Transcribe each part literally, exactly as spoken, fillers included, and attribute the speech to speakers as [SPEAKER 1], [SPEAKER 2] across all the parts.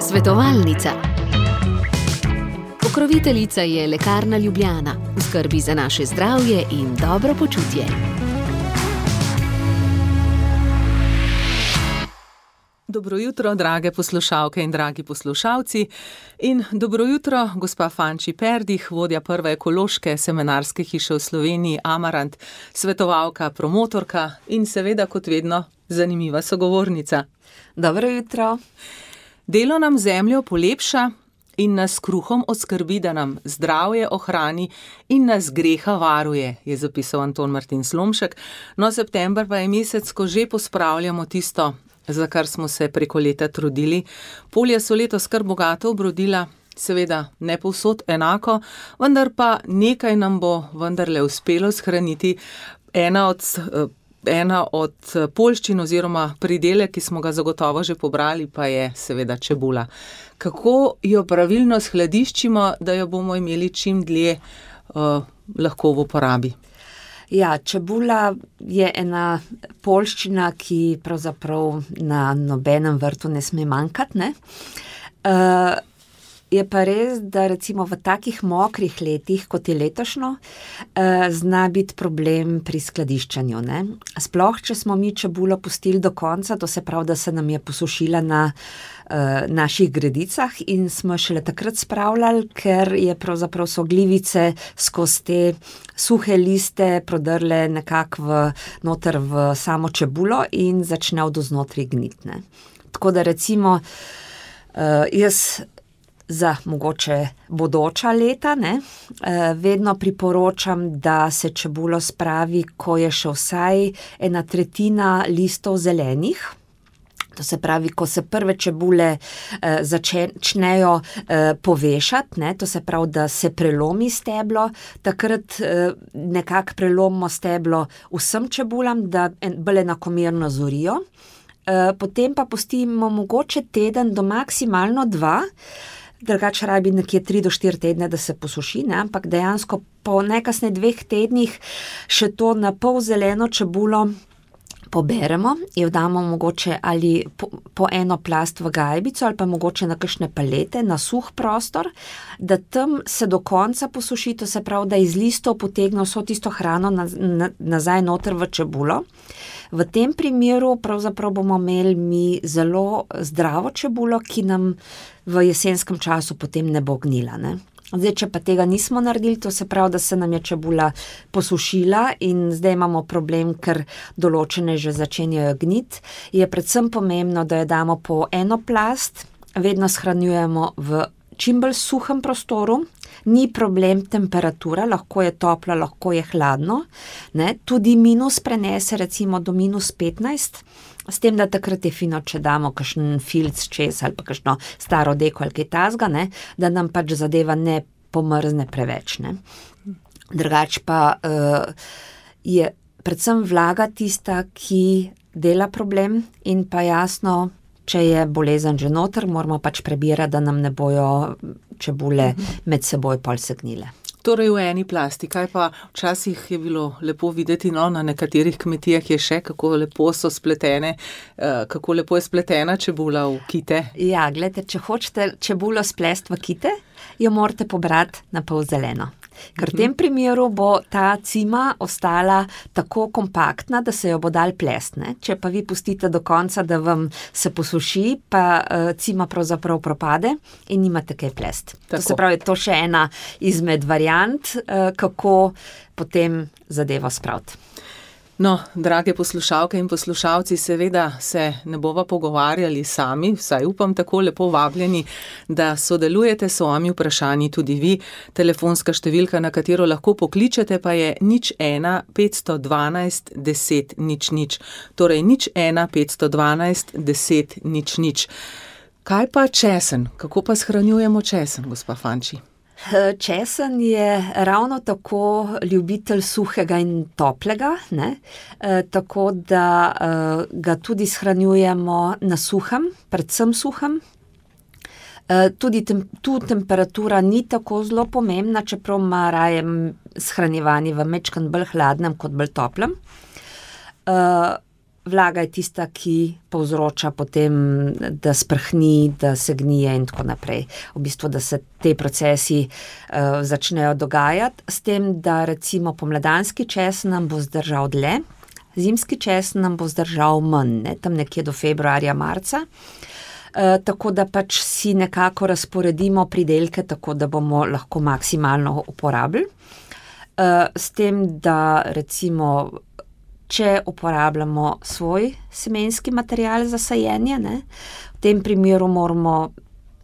[SPEAKER 1] Svetovalnica. Pokroviteljica je Lekarna Ljubljana, v skrbi za naše zdravje in dobro počutje.
[SPEAKER 2] Dobro jutro, drage poslušalke in dragi poslušalci. In dobro jutro, gospa Fanči Perdih, vodja prve ekološke seminarske hiše v Sloveniji Amarant, svetovalka, promotorka in seveda kot vedno zanimiva sogovornica.
[SPEAKER 3] Dobro jutro.
[SPEAKER 2] Delo nam zemljo polepša in nas kruhom oskrbi, da nam zdravje ohrani in nas greha varuje, je zapisal Anton Martin Slomšek. No, september pa je mesec, ko že pospravljamo tisto, za kar smo se preko leta trudili. Polja so letos kar bogato obrodila, seveda ne povsod enako, vendar pa nekaj nam bo vendarle uspelo shraniti. Ena od, ena od poljščin oziroma pridelek, ki smo ga zagotovo že pobrali, pa je seveda čebula. Kako jo pravilno shladiščimo, da jo bomo imeli čim dlje uh, lahko v uporabi?
[SPEAKER 3] Ja, čebula je ena poljščina, ki pravzaprav na nobenem vrtu ne sme manjkati, ne? Uh, je pa res, da recimo v takih mokrih letih, kot je letošnjo, uh, zna biti problem pri skladiščanju, ne? Sploh, če smo mi čebulo pustili do konca, to se pravi, da se nam je posušila na uh, naših gredicah in smo šele takrat spravljali, ker je pravzaprav so glivice skozi te suhe liste prodrle nekako v, noter v samo čebulo in začne od vznotri gniti, ne. Tako da recimo uh, jaz za mogoče bodoča leta, ne, uh, vedno priporočam, da se čebulo spravi, ko je še vsaj ena tretjina listov zelenih. To se pravi, ko se prve čebule eh, začnejo eh, povešati, ne, to se pravi, da se prelomi steblo, takrat eh, nekako prelomimo steblo vsem čebulam, da bolj enakomerno zorijo. Eh, potem pa pustimo mogoče teden do maksimalno dva, drugače rabi nekje tri do štiri tedne, da se posuši, ne, ampak dejansko po najkasneje dveh tednih še to na pol zeleno čebulo poberemo, jo damo mogoče ali po, po eno plast v gajbico ali pa mogoče na kakšne palete, na suh prostor, da tam se do konca posuši, to se pravi, da iz listov potegne vso tisto hrano na, na, nazaj noter v čebulo. V tem primeru pravzaprav bomo imeli mi zelo zdravo čebulo, ki nam v jesenskem času potem ne bo gnila, ne. Zdaj, če pa tega nismo naredili, to se pravi, da se nam je čebula posušila in zdaj imamo problem, ker določene že začenjajo gniti, je predvsem pomembno, da jo damo po eno plast, vedno shranjujemo v čim bolj suhem prostoru, ni problem temperatura, lahko je toplo, lahko je hladno, ne, tudi minus prenese recimo do minus petnajst, s tem, da takrat je fino, če damo kakšen filc čez ali pa kakšno staro deko ali kaj tasga, ne, da nam pač zadeva ne pomrzne preveč, ne. Drugač pa uh, je predvsem vlaga tista, ki dela problem in pa jasno, če je bolezen že noter, moramo pač prebirati, da nam ne bojo čebule med seboj pol segnile.
[SPEAKER 2] Torej v eni plasti, kaj pa včasih je bilo lepo videti, no, na nekaterih kmetijah je še, kako lepo so spletene, uh, kako lepo je spletena čebula v kite.
[SPEAKER 3] Ja, gledajte, če hočete čebulo splesti v kite, jo morate pobrati na pol zeleno. Ker v tem primeru bo ta cima ostala tako kompaktna, da se jo bo dal plest, ne. Če pa vi pustite do konca, da vam se posuši, pa uh, cima pravzaprav propade in nimate kaj plest. Tako. To se pravi, to še ena izmed variant, uh, kako potem zadevo spraviti.
[SPEAKER 2] No, drage poslušalke in poslušalci, seveda se ne bova pogovarjali sami, vsaj upam tako lepo vabljeni, da sodelujete s svojimi vprašanji tudi vi. Telefonska številka, na katero lahko pokličete, pa je nič ena petsto dvanajst deset nič nič. Torej nič ena petsto dvanajst deset nič nič. Kaj pa česen? Kako pa shranjujemo česen, gospa Fanči?
[SPEAKER 3] Česen je ravno tako ljubitelj suhega in toplega, ne? E, tako da e, ga tudi shranjujemo na suhem, predvsem suhem. E, tudi tem, tu temperatura ni tako zelo pomembna, čeprav ima raje shranjevanje v majčkeno bolj hladnem kot bolj toplem. E, vlaga je tista, ki povzroča potem, da sprhni, da se gnije in tako naprej. V bistvu, da se te procesi uh, začnejo dogajati, s tem, da recimo pomladanski česen nam bo zdržal dlje, zimski česen nam bo zdržal manj, ne, tam nekje do februarja, marca. Uh, tako da pač si nekako razporedimo pridelke, tako da bomo lahko maksimalno uporabili. Uh, s tem, da recimo če uporabljamo svoj semenski material za sajenje, ne, v tem primeru moramo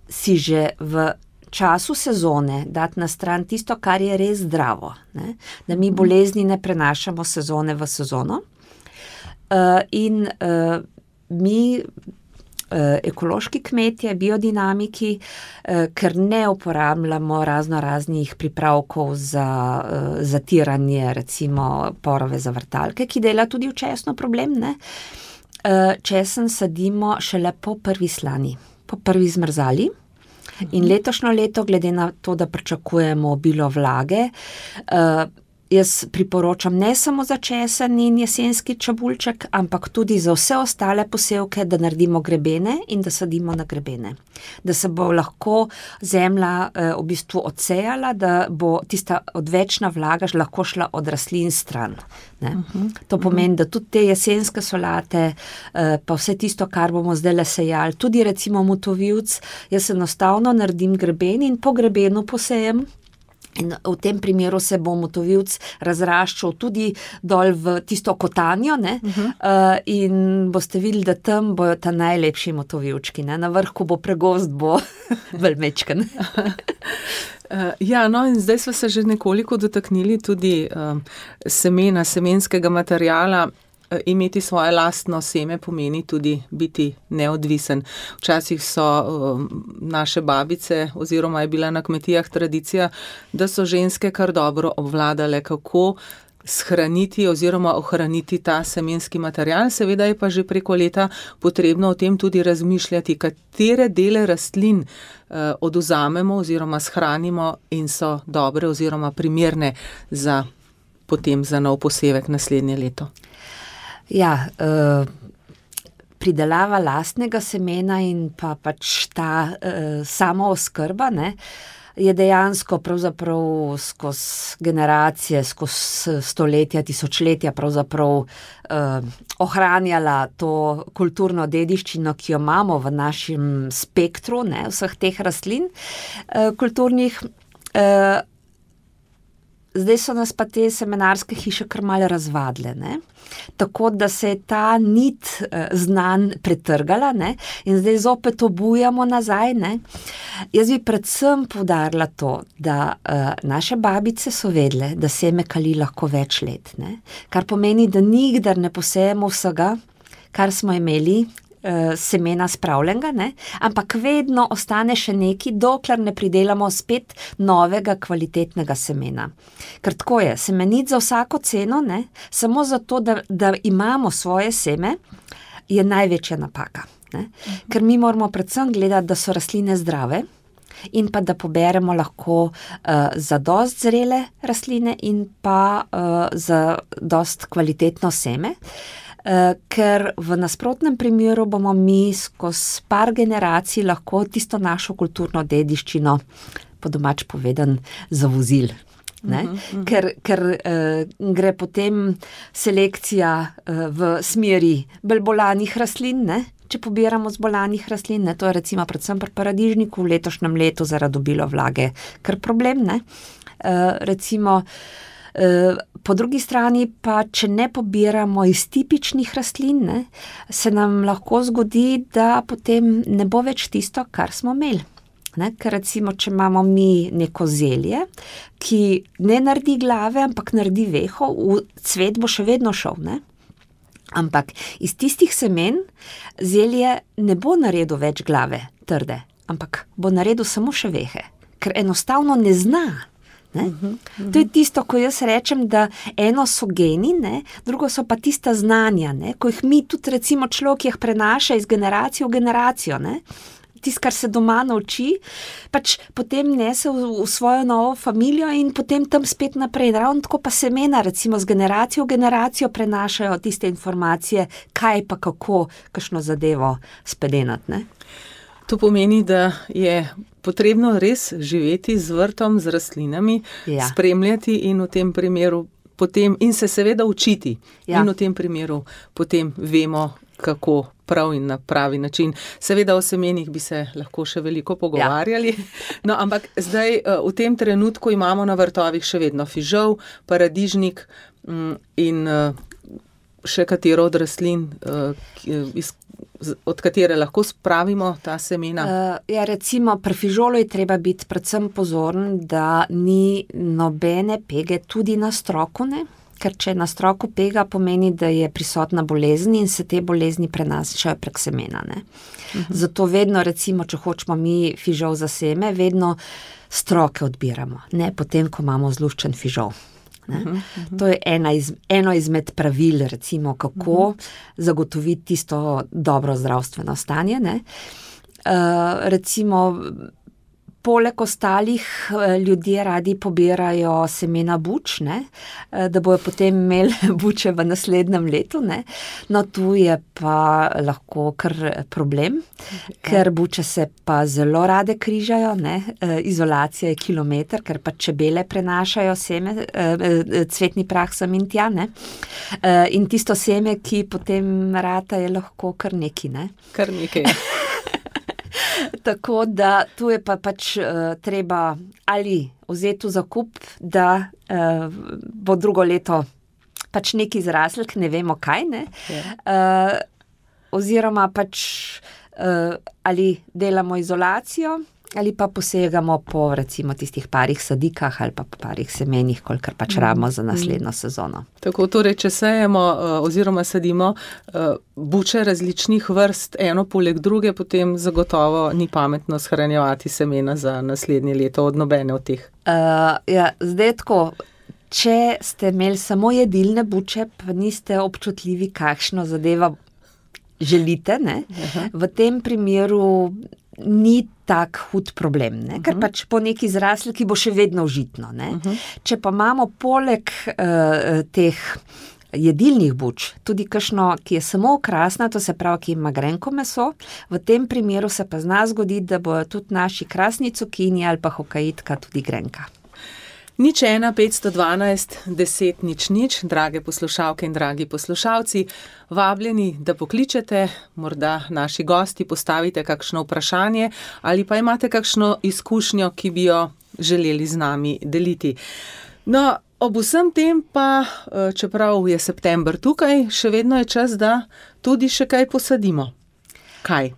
[SPEAKER 3] si že v času sezone dati na stran tisto, kar je res zdravo, ne, da mi bolezni ne prenašamo sezone v sezono. Uh, in uh, mi, uh, ekološki kmetje, biodinamiki, uh, ker ne uporabljamo razno raznih pripravkov za uh, zatiranje, recimo porove za vrtalke, ki dela tudi včasno problem, ne? Uh, česen sadimo šele po prvi slani, po prvi zmrzali. In letošnjo leto, glede na to, da pričakujemo obilo vlage, uh, jaz priporočam ne samo za česen in jesenski čebulček, ampak tudi za vse ostale posevke, da naredimo grebene in da sadimo na grebene. Da se bo lahko zemlja eh, v bistvu odsejala, da bo tista odvečna vlaga lahko šla od rastlin stran. Ne? Uh-huh. To pomeni, da tudi te jesenske solate, eh, pa vse tisto, kar bomo zdaj le sejali, tudi recimo motovilc, jaz enostavno naredim greben in po grebenu posejem. In v tem primeru se bo motovilc razraščal tudi dol v tisto kotanjo, ne? Uh-huh. uh, in boste videli, da tam bojo ta najlepši motovilčki, ne? Na vrhu bo pregost, bo velmečken.
[SPEAKER 2] Uh, ja, no in zdaj smo se že nekoliko dotaknili tudi uh, semena, semenskega materijala. Imeti svoje lastno seme pomeni tudi biti neodvisen. Včasih so uh, naše babice oziroma je bila na kmetijah tradicija, da so ženske kar dobro obvladale, kako shraniti oziroma ohraniti ta semenski material. Seveda je pa že preko leta potrebno o tem tudi razmišljati, katere dele rastlin uh, odvzamemo oziroma shranimo in so dobre oziroma primerne za potem za nov posevek naslednje leto.
[SPEAKER 3] Ja, uh, pridelava lastnega semena in pa pač ta uh, samooskrba, ne, je dejansko pravzaprav skozi generacije, skozi stoletja, tisočletja pravzaprav uh, ohranjala to kulturno dediščino, ki jo imamo v našem spektru, ne, vseh teh rastlin uh, kulturnih. Uh, Zdaj so nas pa te semenarske hiše kar malo razvadle, ne? Tako da se je ta nit eh, znanj pretrgala, ne? In zdaj zopet obujamo nazaj, ne? Jaz bi predvsem poudarila to, da eh, naše babice so vedle, da seme kali lahko več let, ne? Kar pomeni, da nikdar ne posejemo vsega, kar smo imeli semena spravljenega, ne? Ampak vedno ostane še neki, dokler ne pridelamo spet novega kvalitetnega semena. Ker tako je, semeniti za vsako ceno, ne? Samo zato, da, da imamo svoje seme, je največja napaka. Ne? Ker mi moramo predvsem gledati, da so rastline zdrave in pa da poberemo lahko uh, za dost zrele rastline in pa uh, za dost kvalitetno seme. Uh, ker v nasprotnem primeru bomo mi skozi par generacij lahko tisto našo kulturno dediščino, po domač povedan, zavozili. Ne? Uh-huh, uh-huh. Ker, ker uh, gre potem selekcija uh, v smeri bolj bolanih rastlin, ne? Če pobiramo z bolanih rastlin, ne? To je recimo predvsem pri paradižniku v letošnjem letu zaradi obilo vlage kar problem, ne? Uh, recimo po drugi strani pa, če ne pobiramo iz tipičnih rastlin, ne, se nam lahko zgodi, da potem ne bo več tisto, kar smo imeli. Ne, ker recimo, če imamo mi neko zelje, ki ne naredi glave, ampak naredi veho, v cvet bo še vedno šel, ne. Ampak iz tistih semen zelje ne bo naredil več glave trde, ampak bo naredil samo še vehe, ker enostavno ne zna. Ne? Uh-huh, uh-huh. To je tisto, ko jaz rečem, da eno so geni, ne? Drugo so pa tista znanja, ne? Ko jih mi tudi recimo človek jih prenaša iz generacije v generacijo. Ne? tisto, kar se doma nauči, pač potem nese v, v svojo novo familijo in potem tam spet naprej. Ravno tako pa semena, recimo z generacijo v generacijo prenašajo tiste informacije, kaj pa kako, kakšno zadevo spedenat, ne?
[SPEAKER 2] To pomeni, da je potrebno res živeti z vrtom, z rastlinami, ja. Spremljati in v tem primeru potem, in se seveda učiti. Ja. In v tem primeru potem vemo, kako prav in na pravi način. Seveda o semenih bi se lahko še veliko pogovarjali, ja. No, ampak zdaj v tem trenutku imamo na vrtovih še vedno fižol, paradižnik in še katero od rastlin, iz od katere lahko spravimo ta semena?
[SPEAKER 3] Uh, ja, recimo pri fižolu je treba biti predvsem pozoren, da ni nobene pege tudi na stroku, ne? Ker če na stroku pega, pomeni, da je prisotna bolezen in se te bolezni prenašajo prek semena, ne? Uh-huh. Zato vedno, recimo, če hočemo mi fižol za seme, vedno stroke odbiramo, ne potem, ko imamo zluščen fižol. Uh-huh, uh-huh. To je ena iz, eno izmed pravil, recimo, kako uh-huh. zagotoviti tisto dobro zdravstveno stanje, ne. Uh, recimo, poleg ostalih ljudje radi pobirajo semena buč, ne, da bojo potem imeli buče v naslednjem letu, ne. No, tu je pa lahko kar problem, ja. Ker buče se pa zelo rade križajo, ne. Izolacija je kilometer, ker pa čebele prenašajo seme, cvetni prah sem in tja, ne. In tisto seme, ki potem rata, je lahko kar neki, ne.
[SPEAKER 2] Kar nekaj.
[SPEAKER 3] Tako da tu je pa pač uh, treba ali vzeti v zakup, da uh, bo drugo leto pač neki zraslik, ne vemo kaj, ne, yeah. uh, oziroma pač uh, ali delamo izolacijo, ali pa posegamo po recimo tistih parih sadikah ali pa parih semenih, kolikor pač rabimo za naslednjo sezono.
[SPEAKER 2] Tako, torej, če sejemo oziroma sadimo buče različnih vrst, eno poleg druge, potem zagotovo ni pametno shranjevati semena za naslednje leto od nobene od teh.
[SPEAKER 3] Uh, ja, zdaj tako, če ste imeli samo jedilne buče, pa niste občutljivi, kakšno zadeva želite, ne? Aha. V tem primeru ni tak hud problem, ne? Ker uh-huh. pač po neki zrasli, ki bo še vedno užitno, ne? Uh-huh. Če pa imamo poleg uh, teh jedilnih buč tudi kakšno, ki je samo okrasna, to se pravi, ki ima grenko meso, v tem primeru se pa zna zgoditi, da bojo tudi naši krasni cukini ali pa hokaitka tudi grenka.
[SPEAKER 2] Nič ena, petsto dvanajst, deset, nič nič, drage poslušalke in dragi poslušalci, vabljeni, da pokličete, morda naši gosti postavite kakšno vprašanje ali pa imate kakšno izkušnjo, ki bi jo želeli z nami deliti. No, ob vsem tem pa, čeprav je september tukaj, še vedno je čas, da tudi še kaj posadimo. Kaj?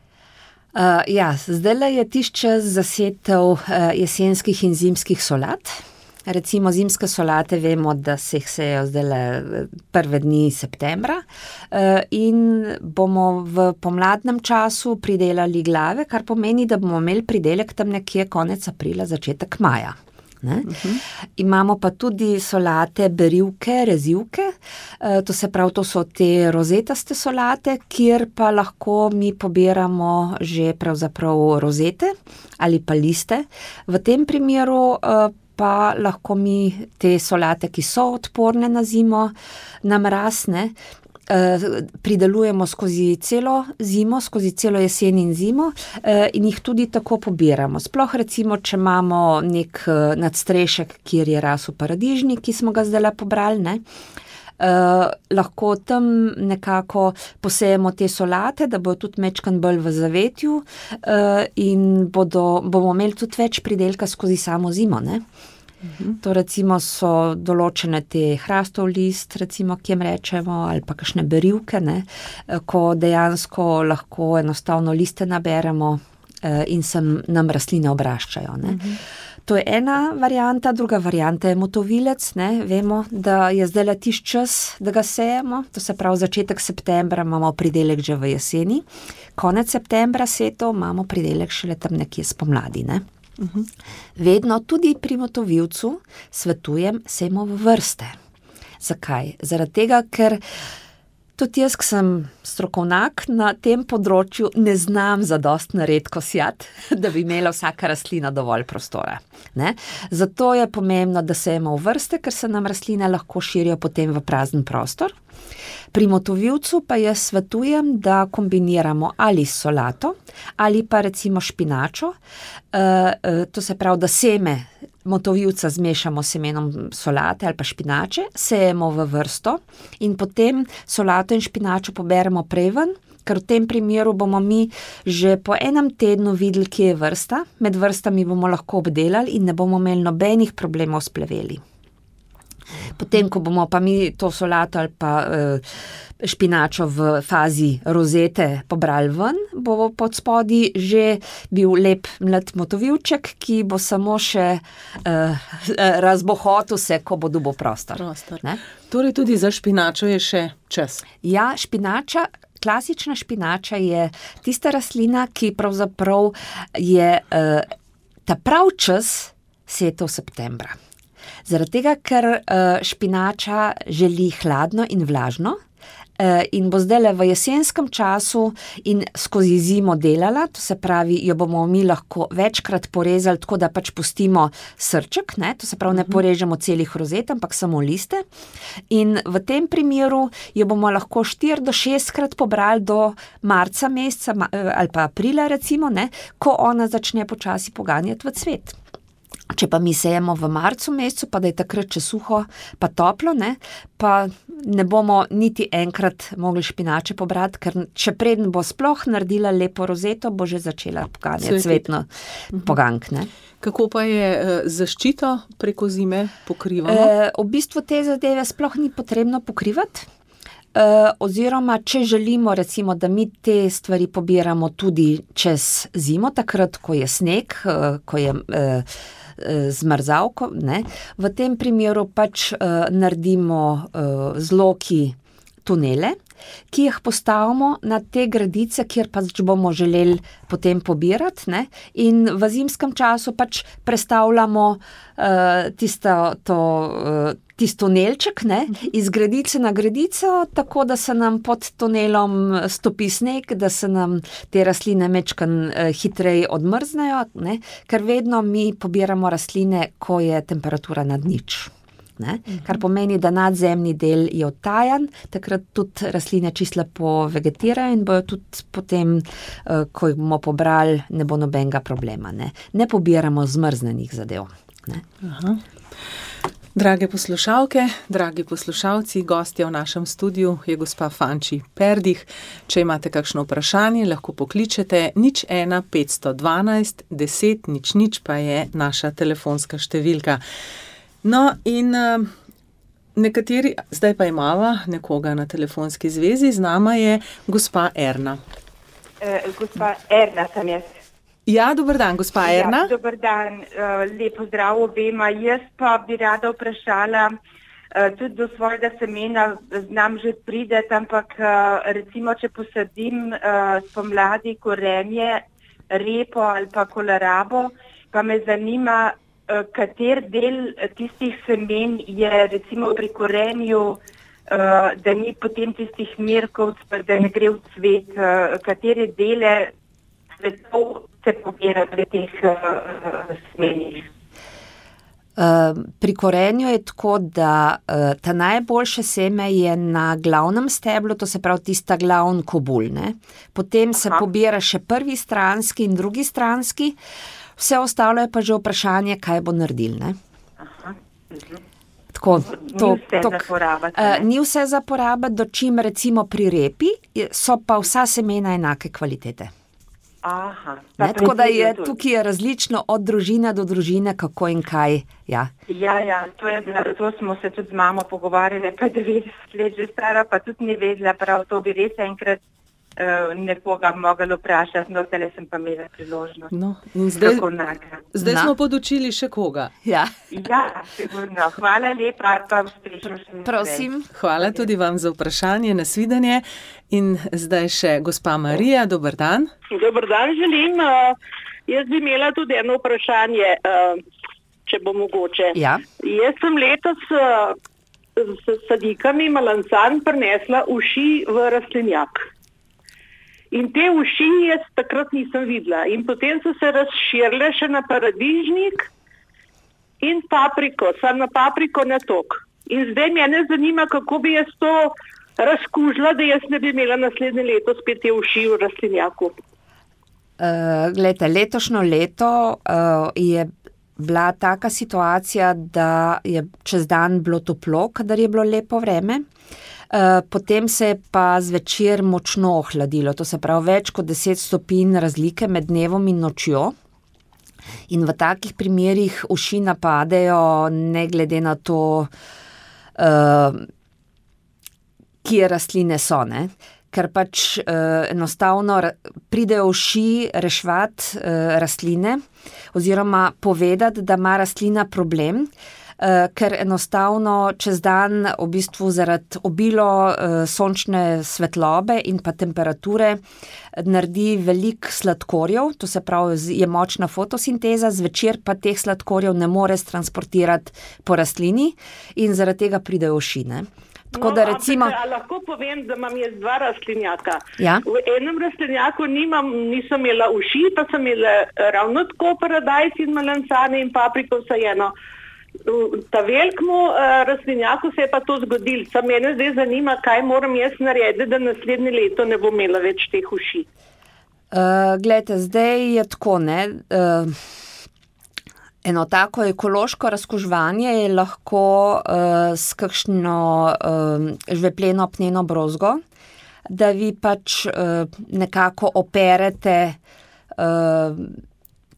[SPEAKER 3] Uh, ja, zdajle je tisti čas za setev uh, jesenskih in zimskih solat. Recimo zimske solate vemo, da se jih sejo zdajle prve dni septembra in bomo v pomladnem času pridelali glave, kar pomeni, da bomo imeli pridelek tam nekje konec aprila, začetek maja. Ne? Uh-huh. Imamo pa tudi solate berivke, rezivke, to se pravi, to so te rozetaste solate, kjer pa lahko mi pobiramo že pravzaprav rozete ali pa liste. V tem primeru pa lahko mi te solate, ki so odporne na zimo, na mraz, ne, pridelujemo skozi celo zimo, skozi celo jesen in zimo in jih tudi tako pobiramo. Sploh recimo, če imamo nek nadstrešek, kjer je rasel paradižnik, ki smo ga zdajle pobrali, ne, Uh, lahko tam nekako posejemo te solate, da bodo tudi mečkan bolj v zavetju uh, in bodo, bomo imeli tudi več pridelka skozi samo zimo, ne. Uh-huh. To recimo so določene te hrastov list, recimo, ki jim rečemo, ali pa kakšne berivke, ne, ko dejansko lahko enostavno liste naberemo uh, in se nam rastline obraščajo, ne. Uh-huh. To je ena varianta, druga varianta je motovilec, ne, vemo, da je zdajle tisti čas, da ga sejemo, to se pravi začetek septembra imamo pridelek že v jeseni, konec septembra setev imamo pridelek šele tam nekje spomladi, ne. Uh-huh. Vedno tudi pri motovilcu svetujem sejmo v vrste. Zakaj? Zaradi tega, ker Tudi jaz, ki sem strokovnjak na tem področju, ne znam zadostno redko sijati, da bi imela vsaka rastlina dovolj prostora. Ne? Zato je pomembno, da sejemo v vrste, ker se nam rastline lahko širijo potem v prazen prostor. Pri motovilcu pa jaz svetujem, da kombiniramo ali solato ali pa recimo špinačo. E, to se pravi, da seme motovilca zmešamo s semenom solate ali pa špinače, sejemo v vrsto in potem solato in špinačo poberemo prej ven, ker v tem primeru bomo mi že po enem tednu videli, kje je vrsta, med vrstami bomo lahko obdelali in ne bomo imeli nobenih problemov s pleveli. Potem, ko bomo pa mi to solato ali pa uh, špinačo v fazi rozete pobrali ven, bo pod spodi že bil lep mlad motovilček, ki bo samo še uh, razbohotil se, ko bo dobil prostor. prostor.
[SPEAKER 2] Torej tudi za špinačo je še čas.
[SPEAKER 3] Ja, špinača, klasična špinača je tista rastlina, ki pravzaprav je uh, ta prav čas setev septembra. Zaradi tega, ker uh, špinača želi hladno in vlažno uh, in bo zdajle v jesenskem času in skozi zimo delala, to se pravi, jo bomo mi lahko večkrat porezali, tako da pač pustimo srček, ne? To se pravi, ne porežemo celih rozet, ampak samo liste. In v tem primeru jo bomo lahko štiri do šestkrat pobrali do marca meseca ali pa aprila recimo, ne? Ko ona začne počasi poganjati v cvet. Če pa mi sejemo v marcu mesecu, pa da je takrat še suho, pa toplo, ne, pa ne bomo niti enkrat mogli špinače pobrati, ker še preden bo sploh naredila lepo rozeto, bo že začela poganjati cvetno pogank, ne.
[SPEAKER 2] Kako pa je zaščito preko zime pokrivamo?
[SPEAKER 3] E, v bistvu te zadeve sploh ni potrebno pokrivati. Uh, oziroma, če želimo recimo, da mi te stvari pobiramo tudi čez zimo, takrat, ko je sneg, uh, ko je uh, zmrzavko, ne, v tem primeru pač uh, naredimo uh, z loki tunele, ki jih postavimo na te gredice, kjer pač bomo želeli potem pobirati, ne, in v zimskem času pač prestavljamo uh, tisto, to, uh, tisti tunelček, ne, iz gredice na gredico, tako da se nam pod tunelom stopi sneg, da se nam te rastline mečkan uh, hitreje odmrznejo, ne, ker vedno mi pobiramo rastline, ko je temperatura nad nič. Ne? Kar pomeni, da nadzemni del je odtajan, takrat tudi rastline čisto lepo vegetirajo in bojo tudi potem, ko jih bomo pobrali, ne bo nobenega problema. Ne, ne pobiramo zmrznenih zadev. Ne?
[SPEAKER 2] Aha. Drage poslušalke, dragi poslušalci, gostja v našem studiu je gospa Fanči Perdih. Če imate kakšno vprašanje, lahko pokličete nič ena petsto dvanajst deset nič nič pa je naša telefonska številka. No in uh, nekateri, zdaj pa imava nekoga na telefonski zvezi, z nama je gospa Erna.
[SPEAKER 4] E, gospa Erna sem jaz.
[SPEAKER 2] Ja, dober dan, gospa Erna.
[SPEAKER 4] Ja, dober dan, uh, lepo zdrav obema. Jaz pa bi rada vprašala, uh, tudi do svojega semena znam že prideti, ampak uh, recimo, če posadim uh, spomladi korenje, repo ali pa kolerabo, pa me zanima, kater del tistih semen je recimo pri korenju, da ni potem tistih merkov, da ne gre v cvet, katere dele cvetov se pobira pri teh semenih.
[SPEAKER 3] Pri korenju je tako, da ta najboljše seme je na glavnem steblu, to se pravi tista glavn kobul, ne? Potem se Aha. pobira še prvi stranski in drugi stranski. Vse ostalo je pa že vprašanje, kaj bo naredil, ne?
[SPEAKER 4] Aha.
[SPEAKER 3] Tako, to,
[SPEAKER 4] ni vse
[SPEAKER 3] tok,
[SPEAKER 4] za porabiti.
[SPEAKER 3] Uh, ni vse za porabiti, dočim recimo pri repi, so pa vsa semena enake kvalitete.
[SPEAKER 4] Aha.
[SPEAKER 3] Ne, tako da je tukaj je različno od družine do družine, kako in kaj. Ja,
[SPEAKER 4] ja, ja to, je, to smo se tudi z mamo pogovarjali, pa devetdeset let že stara, pa tudi ni vedela, prav to bi res enkrat nekoga mogli vprašati, no, tele sem pa imela priložnost.
[SPEAKER 2] No, in zdaj zdaj smo podučili še koga.
[SPEAKER 3] Ja,
[SPEAKER 4] ja sigurno. Hvala lepa, pa uspešno še naprej.
[SPEAKER 3] Prosim.
[SPEAKER 2] Hvala tudi vam za vprašanje, nasvidenje. In zdaj še gospa Marija, dober dan.
[SPEAKER 5] Dober dan želim. Jaz bi imela tudi eno vprašanje, če bo mogoče.
[SPEAKER 3] Ja.
[SPEAKER 5] Jaz sem letos s sadikami malancan prinesla uši v rastlinjak. In te uši jaz takrat nisem videla. In potem so se razširile še na paradižnik in papriko, sam na papriko ne tok. In zdaj mene zanima, kako bi jaz to razkužila, da jaz ne bi imela naslednje leto spet te uši v rastlinjaku.
[SPEAKER 3] Uh, glejte, letošnjo leto uh, je bila taka situacija, da je čez dan bilo toplo, kadar je bilo lepo vreme. Uh, potem se je pa zvečer močno ohladilo, to se pravi več kot deset stopinj razlike med dnevom in nočjo. In v takih primerih uši napadejo ne glede na to, uh, kje rastline so, ne? Ker pač uh, enostavno pridejo uši reševati uh, rastline oziroma povedati, da ima rastlina problem, uh, ker enostavno čez dan v bistvu zaradi obilo uh, sončne svetlobe in pa temperature naredi veliko sladkorjev, to se pravi je močna fotosinteza, zvečer pa teh sladkorjev ne more transportirati po rastlini in zaradi tega pridejo uši, ne. Tako
[SPEAKER 5] no,
[SPEAKER 3] da recimo...
[SPEAKER 5] ampak, lahko povem, da imam jaz dva rastlinjaka.
[SPEAKER 3] Ja?
[SPEAKER 5] V enem rastlinjaku nimam, nisem imela uši, pa sem imela ravno tako paradajz in malancane in papriko vsajeno. V ta velikmu uh, rastlinjaku se je pa to zgodilo. Sam mene zdaj zanima, kaj moram jaz narediti, da naslednje leto ne bom imela več teh uši.
[SPEAKER 3] Uh, glejte, zdaj je tako, ne... Uh... Eno tako ekološko razkuževanje je lahko uh, s kakšno uh, žvepleno apneno brozgo, da vi pač uh, nekako operete uh,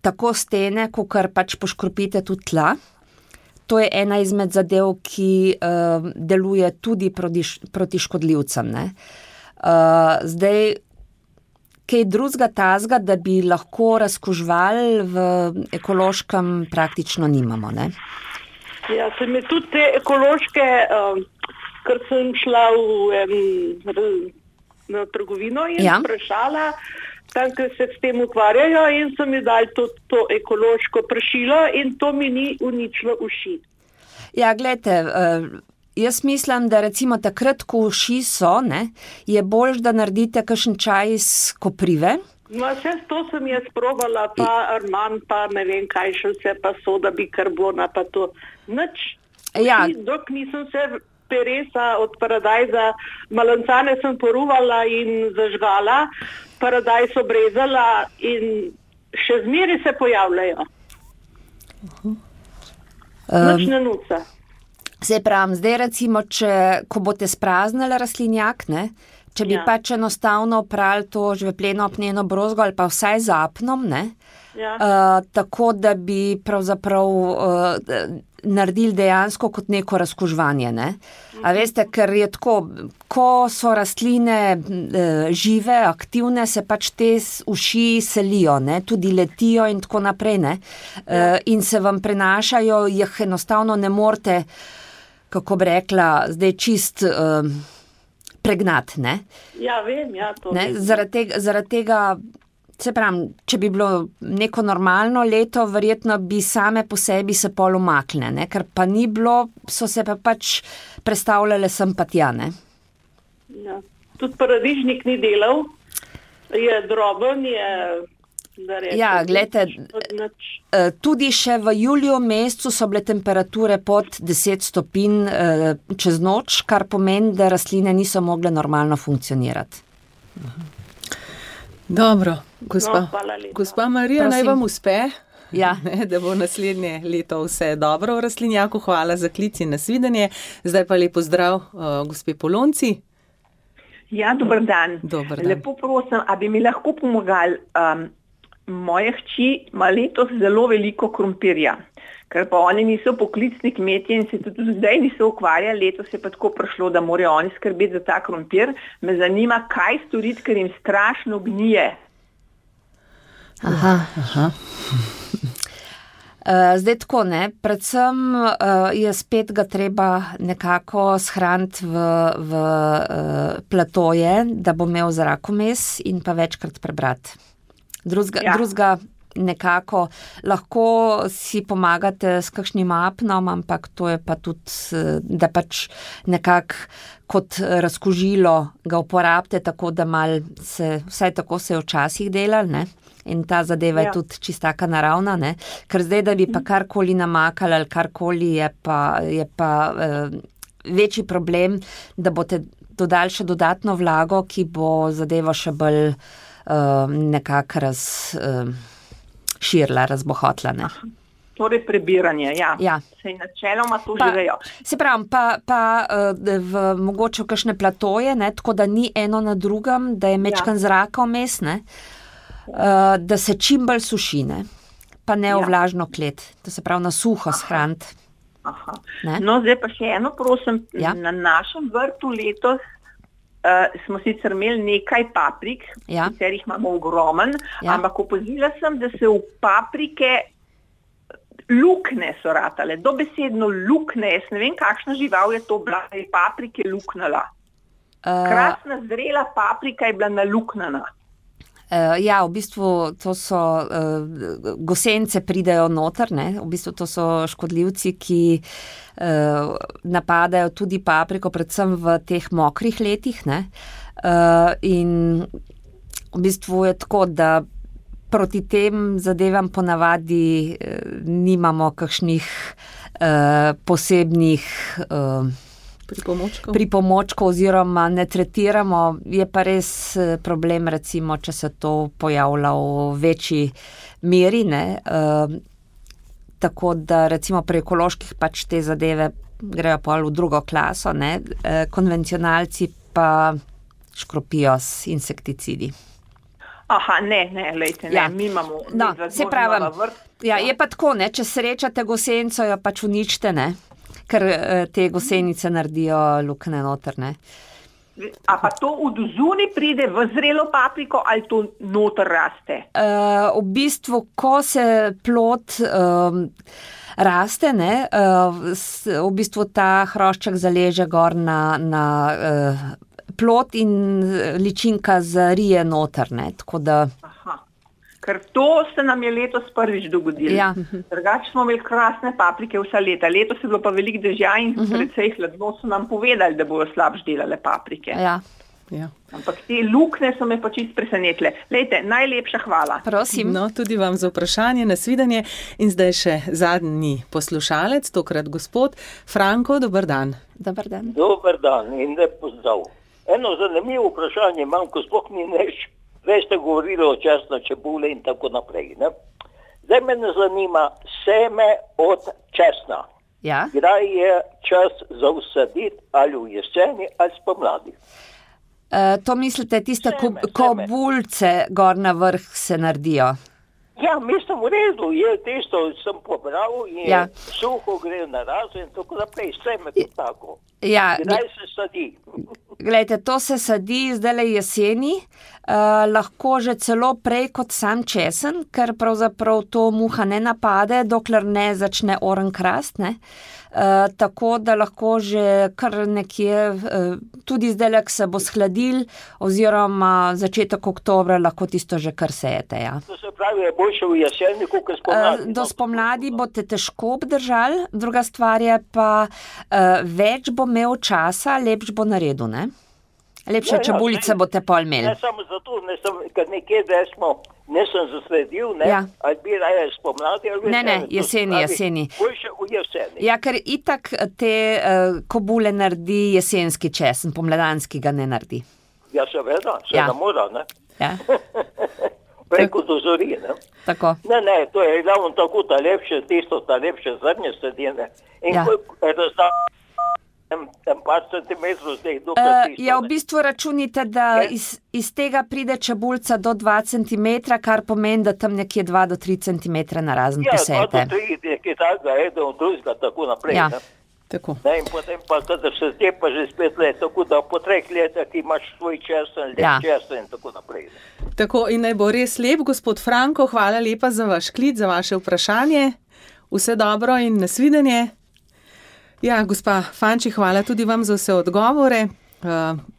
[SPEAKER 3] tako stene, kakor pač poškropite tudi tla. To je ena izmed zadev, ki uh, deluje tudi proti, proti škodljivcem, ne. Uh, zdaj, kaj drugega tazga, da bi lahko razkuževali v ekološkem praktično nimamo, ne?
[SPEAKER 5] Ja, se mi tudi te ekološke, uh, ker sem šla v um, na trgovino in ja. Vprašala, tam, ker se s tem ukvarjajo in so mi dali to, to ekološko pršilo in to mi ni uničilo uši.
[SPEAKER 3] Ja, glejte, uh, jaz mislim, da recimo takrat, ko uši so, ne, je bolj, da naredite kakšen čaj iz koprive.
[SPEAKER 5] No, vse to sem jaz probala, pa arman, pa ne vem kaj še vse, pa soda bikarbona, pa to. Nič.
[SPEAKER 3] Ja.
[SPEAKER 5] Dok nisem se peresa od paradajza, malancane sem poruvala in zažgala, paradajz obrezala in še zmeri se pojavljajo. Uh-huh. Nič ne nuca.
[SPEAKER 3] Se pravim, zdaj recimo, če, ko boste spraznili rastlinjak, ne, če bi ja. Pač enostavno oprali to žvepleno apneno brozgo ali pa vsaj z apnom, ne, ja. uh, tako da bi pravzaprav uh, naredili dejansko kot neko razkuževanje, ne. Mhm. A veste, ker je tako, ko so rastline uh, žive, aktivne, se pač te uši selijo, ne, tudi letijo in tako naprej, ne, ja. uh, in se vam prenašajo, jih enostavno ne morete, kako bi rekla, zdaj čist uh, pregnat, ne?
[SPEAKER 5] Ja, vem, ja, to
[SPEAKER 3] ne?
[SPEAKER 5] vem.
[SPEAKER 3] Zaradi tega, zaradi tega, se pravim, če bi bilo neko normalno leto, verjetno bi same po sebi se pol umakne, ne? Ker pa ni bilo, so se pa pač prestavljale sem pa tja, ne?
[SPEAKER 5] Ja. Tudi paradižnik ni delal, je droben, je...
[SPEAKER 3] Ja, gledajte, tudi še v juliju mesecu so bile temperature pod deset stopinj čez noč, kar pomeni, da rastline niso mogle normalno funkcionirati.
[SPEAKER 2] Dobro, gospa,
[SPEAKER 5] no,
[SPEAKER 2] gospa Marija, naj vam uspe,
[SPEAKER 3] ja.
[SPEAKER 2] Da bo naslednje leto vse dobro v rastlinjaku. Hvala za klic in nasvidenje. Zdaj pa lepo zdrav, uh, gospe Polonci.
[SPEAKER 6] Ja, dober dan.
[SPEAKER 2] Dober dan.
[SPEAKER 6] Lepo prosim, a bi mi lahko pomagali, um, moje hči ima letos zelo veliko krompirja, ker pa oni niso poklicni kmetje in se tudi zdaj niso ukvarjali, letos je pa tako prišlo, da morajo oni skrbeti za ta krompir. Me zanima, kaj storiti, ker jim strašno gnije.
[SPEAKER 3] Aha, aha. Uh, zdaj tako, ne, predvsem uh, je spet ga treba nekako shraniti v, v uh, platoje, da bo imel zrakomes in pa večkrat prebrati. Drugega,
[SPEAKER 6] ja.
[SPEAKER 3] drugega nekako lahko si pomagate s kakšnim apnom, ampak to je pa tudi, da pač nekako kot razkužilo ga uporabite, tako da mal se, vsaj tako se je včasih delali, ne? In ta zadeva ja. je tudi čistaka naravna, ne? Ker zdaj, da bi pa karkoli namakali ali karkoli, je pa, je pa eh, večji problem, da boste dodali še dodatno vlago, ki bo zadevo še bolj eh, nekako raz... Eh, širila, razbohotla, ne.
[SPEAKER 6] Torej prebiranje, ja.
[SPEAKER 3] ja.
[SPEAKER 6] Sej načeloma to
[SPEAKER 3] pa,
[SPEAKER 6] že vejo.
[SPEAKER 3] Se pravim, pa, pa v mogoče kakšne platoje, ne, tako da ni eno na drugem, da je mečkan ja. zraka vmes, ne, da se čim bolj suši, ne, pa ne v vlažno klet, to se pravi na suho shraniti.
[SPEAKER 6] Aha. No, zdaj pa še eno, prosim, ja. na našem vrtu letos Uh, smo sicer imeli nekaj paprik,
[SPEAKER 3] ja.
[SPEAKER 6] katerih imamo ogromen, ja. ampak opazila sem, da se v paprike lukne so ratale, dobesedno lukne, jaz ne vem, kakšna žival je to bila, da je paprike luknala. Uh, Krasna zrela paprika je bila naluknana.
[SPEAKER 3] Uh, ja, v bistvu to so uh, gosence pridejo noter, ne? V bistvu to so škodljivci, ki uh, napadajo tudi papriko, predvsem v teh mokrih letih, ne? Uh, in v bistvu je tako, da proti tem zadevam ponavadi uh, nimamo kakšnih uh, posebnih uh,
[SPEAKER 2] Pripomočkov.
[SPEAKER 3] pripomočkov oziroma ne tretiramo, je pa res problem, recimo, če se to pojavlja v večji meri, ne, e, tako da recimo pri ekoloških pač te zadeve grejo pol v drugo klaso, ne, e, konvencionalci pa škropijo s insekticidi.
[SPEAKER 6] Aha, ne, ne, lejte, ne, ja. mi imamo,
[SPEAKER 3] no,
[SPEAKER 6] mi
[SPEAKER 3] se pravim, ja, je pa tako, ne, če srečate gosenco, jo pač uničite, ne, ker te gosenice naredijo lukne noter, ne.
[SPEAKER 6] A pa to od zunaj pride v zrelo papriko ali to noter raste?
[SPEAKER 3] Uh, v bistvu, ko se plod um, raste, ne, uh, v bistvu ta hrošček zaleže gor na, na uh, plod in ličinka zarije noter, ne, tako da...
[SPEAKER 6] Aha. Ker to se nam je letos prvič dogodilo.
[SPEAKER 3] Ja.
[SPEAKER 6] Drugače smo imeli krasne paprike vsa leta. Letos je bilo pa veliko dežja in uh-huh. precej hladno so nam povedali, da bojo slabš delale paprike.
[SPEAKER 3] Ja.
[SPEAKER 2] Ja.
[SPEAKER 6] Ampak te lukne so me pa čist presenetile. Lejte, najlepša hvala.
[SPEAKER 3] Prosim.
[SPEAKER 2] No, tudi vam za vprašanje, nasvidenje. In zdaj še zadnji poslušalec, tokrat gospod Franko, dober dan.
[SPEAKER 3] Dober dan.
[SPEAKER 7] Dober dan in lep pozdrav. Eno zanimivo vprašanje imam, ko sploh ni neš. Veš ste govorili o česna čebule in tako naprej. Ne? Zdaj me ne zanima seme od česna.
[SPEAKER 3] Ja.
[SPEAKER 7] Kdaj je čas za usaditi ali v jeseni ali spomladi?
[SPEAKER 3] Uh, to mislite, tiste
[SPEAKER 7] Seme,
[SPEAKER 3] kobulce gor na vrh se naredijo?
[SPEAKER 7] Ja, mislim v redu, je tisto, sem pobral in
[SPEAKER 3] ja.
[SPEAKER 7] suho gre na razo in tako naprej, seme to tako.
[SPEAKER 3] Ja.
[SPEAKER 7] Kdaj se sadi?
[SPEAKER 3] Glejte, to se sadi zdajle jeseni, uh, lahko že celo prej kot sam česen, ker pravzaprav to muha ne napade, dokler ne začne oren krast, ne. Uh, tako da lahko že kar nekje, uh, tudi zdajle, ko se bo shladil, oziroma začetek oktobra lahko tisto že kar sejete, ja.
[SPEAKER 7] To se pravi, je boljše v jeseni, kot spomladi?
[SPEAKER 3] Uh, do spomladi boste težko obdržali, druga stvar je pa, uh, več bo imel časa, lepš bo naredil, ne? Lepše ja, ja, čebulice ne, boste pol imeli.
[SPEAKER 7] Ne samo zato, ne sem, ker nekje, da smo, ne sem zasledil, ne,
[SPEAKER 3] ja.
[SPEAKER 7] ali bi raje spomladi, ali
[SPEAKER 3] ne, ne, jeseni,
[SPEAKER 7] pravi,
[SPEAKER 3] jeseni.
[SPEAKER 7] Boljše v jeseni.
[SPEAKER 3] Ja, ker itak te uh, kobule naredi jesenski česen, pomladanski ga ne naredi.
[SPEAKER 7] Ja, seveda, se
[SPEAKER 3] ja.
[SPEAKER 7] ne mora, ne.
[SPEAKER 3] Ja.
[SPEAKER 7] Preko dozori, ne.
[SPEAKER 3] Tako.
[SPEAKER 7] Ne, ne, to je ravno tako ta lepše, tisto ta lepše zrnje sedine. In
[SPEAKER 3] ja.
[SPEAKER 7] koliko je razdaljeno? Tem, tem par centimetrov zdaj, dokaj
[SPEAKER 3] uh,
[SPEAKER 7] tisto.
[SPEAKER 3] Ja, v bistvu računite, da iz, iz tega pride čebulca do dva centimetra, kar pomeni, da tam nekje dva do tri centimetre na razen
[SPEAKER 7] ja,
[SPEAKER 3] posejete.
[SPEAKER 7] Ja, dva do tri, nekje takega, eden od drugega, tako naprej.
[SPEAKER 3] Ja.
[SPEAKER 7] Ne?
[SPEAKER 2] Tako.
[SPEAKER 7] Ne, in potem pa, kadar se zdaj pa že spet let, tako da po treh letih ti imaš svoj česen, lep
[SPEAKER 3] ja.
[SPEAKER 7] česen in tako naprej. Ne?
[SPEAKER 2] Tako, in naj bo res lep, gospod Franko, hvala lepa za vaš klic, za vaše vprašanje. Vse dobro in nasvidenje. Ja, gospa Fanči, hvala tudi vam za vse odgovore.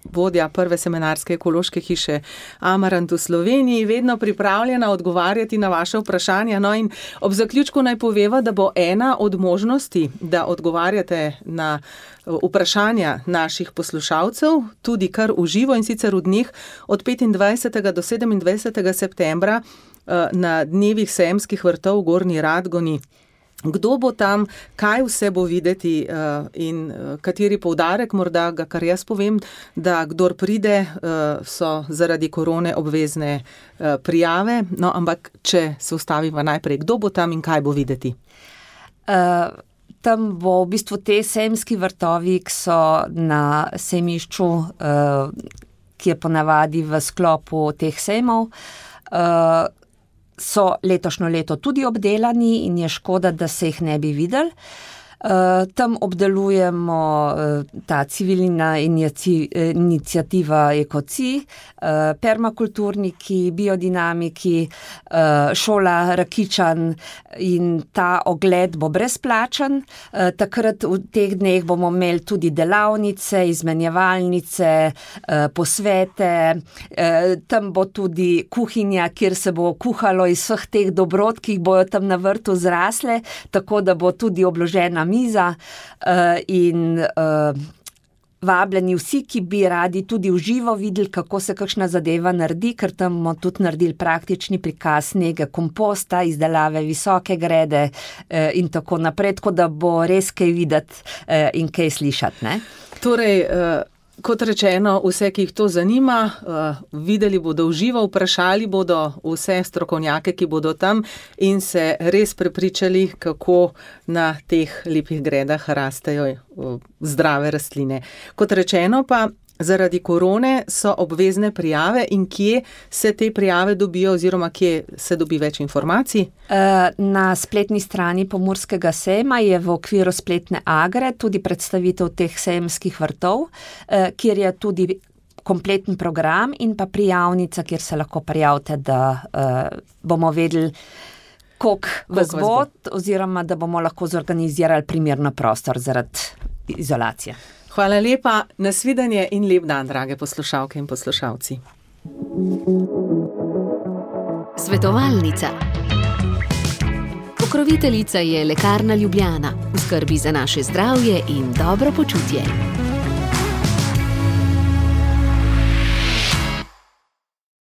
[SPEAKER 2] vodja prve semenarske ekološke hiše Amarant v Sloveniji, vedno pripravljena odgovarjati na vaše vprašanja. No in ob zaključku naj poveva, da bo ena od možnosti, da odgovarjate na vprašanja naših poslušalcev, tudi kar v živo, in sicer v dneh od petindvajsetega do sedemindvajsetega septembra na dnevih sejemskih vrtov v Gornji Radgoni. Kdo bo tam, kaj vse bo videti in kateri poudarek, morda ga kar jaz povem, da kdor pride, so zaradi korone obvezne prijave, no, ampak če se ustavimo najprej, kdo bo tam in kaj bo videti?
[SPEAKER 3] Uh, tam bo v bistvu te sejemski vrtovi, ki so na sejmišču, uh, ki je ponavadi v sklopu teh sejmov, uh, so letošnjo leto tudi obdelani in je škoda, da se jih ne bi videli. Uh, tam obdelujemo uh, ta civilna iniciativa Ekoci, uh, permakulturniki, biodinamiki, uh, šola Rakičan, in ta ogled bo brezplačen. Uh, takrat v teh dneh bomo imeli tudi delavnice, izmenjevalnice, uh, posvete. Uh, tam bo tudi kuhinja, kjer se bo kuhalo iz vseh teh dobrot, ki jih bojo tam na vrtu zrasle, tako da bo tudi obložena miza, uh, in uh, vabljeni vsi, ki bi radi tudi v živo videli, kako se kakšna zadeva naredi, ker tam bomo tudi naredili praktični prikaz nege komposta, izdelave visoke grede uh, in tako naprej, tako da bo res kaj videti uh, in kaj slišati, ne?
[SPEAKER 2] Torej, uh... Kot rečeno, vse, ki jih to zanima, uh, videli bodo v živo, vprašali bodo vse strokovnjake, ki bodo tam, in se res prepričali, kako na teh lepih gredah rastejo uh, zdrave rastline. Kot rečeno pa, zaradi korone so obvezne prijave, in kje se te prijave dobijo oziroma kje se dobi več informacij?
[SPEAKER 3] Na spletni strani Pomurskega sejma je v okviru spletne Agre tudi predstavitev teh sejemskih vrtov, kjer je tudi kompleten program in pa prijavnica, kjer se lahko prijavite, da bomo vedeli, koliko vas bo, oziroma da bomo lahko zorganizirali primerno prostor zaradi izolacije.
[SPEAKER 2] Hvala lepa, nasvidenje in lep dan, drage poslušalke in poslušalci.
[SPEAKER 1] Svetovalnica. Pokroviteljica je Lekarna Ljubljana, v skrbi za naše zdravje in dobro počutje.